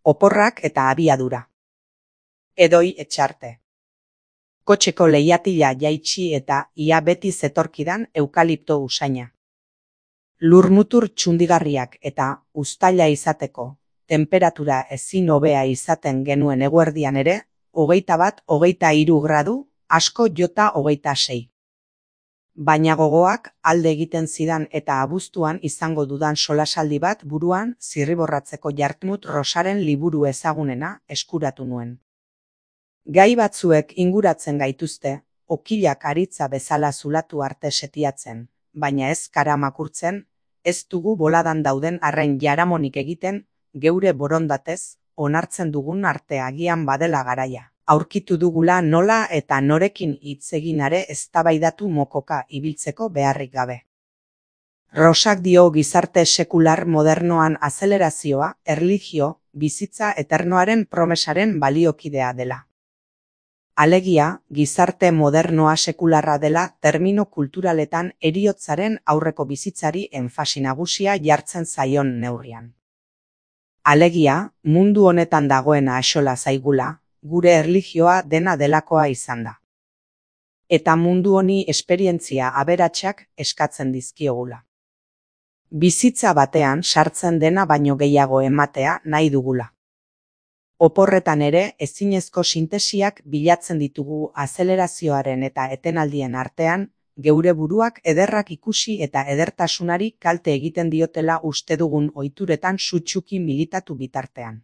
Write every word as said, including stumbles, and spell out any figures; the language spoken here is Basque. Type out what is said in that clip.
Oporrak eta abiadura. Edoi etxarte. Kotxeko leihatila jaitsi eta ia beti zetorkidan eukalipto usaina. Lurmutur txundigarriak eta uztaila izateko, temperatura ezin hobea izaten genuen eguerdian ere, hogeita bat, hogeita hiru gradu, asko jota hogeita sei. Baina gogoak alde egiten zidan eta abuztuan izango dudan solasaldi bat buruan zirriborratzeko Jartmut Rosaren liburu ezagunena eskuratu nuen. Gai batzuek inguratzen gaituzte, okilak aritza bezala zulatu arte setiatzen, baina ez kara makurtzen, ez dugu boladan dauden arren jaramonik egiten, geure borondatez, onartzen dugun arte agian badela garaia. Aurkitu dugula nola eta norekin hitz eginare eztabaidatu mokoka ibiltzeko beharrik gabe. Rosak dio gizarte sekular modernoan azelerazioa, erlijio, bizitza eternoaren promesaren baliokidea dela. Alegia, gizarte modernoa sekularra dela termino kulturaletan heriotzaren aurreko bizitzari enfasi nagusia jartzen zaion neurrian. Alegia, mundu honetan dagoena axola zaigula, gure erlijioa dena delakoa izan da. Eta mundu honi esperientzia aberatsak eskatzen dizkiogula. Bizitza batean sartzen dena baino gehiago ematea nahi dugula. Oporretan ere ezinezko sintesiak bilatzen ditugu azelerazioaren eta etenaldien artean, geure buruak ederrak ikusi eta edertasunari kalte egiten diotela uste dugun ohituretan sutsuki militatu bitartean.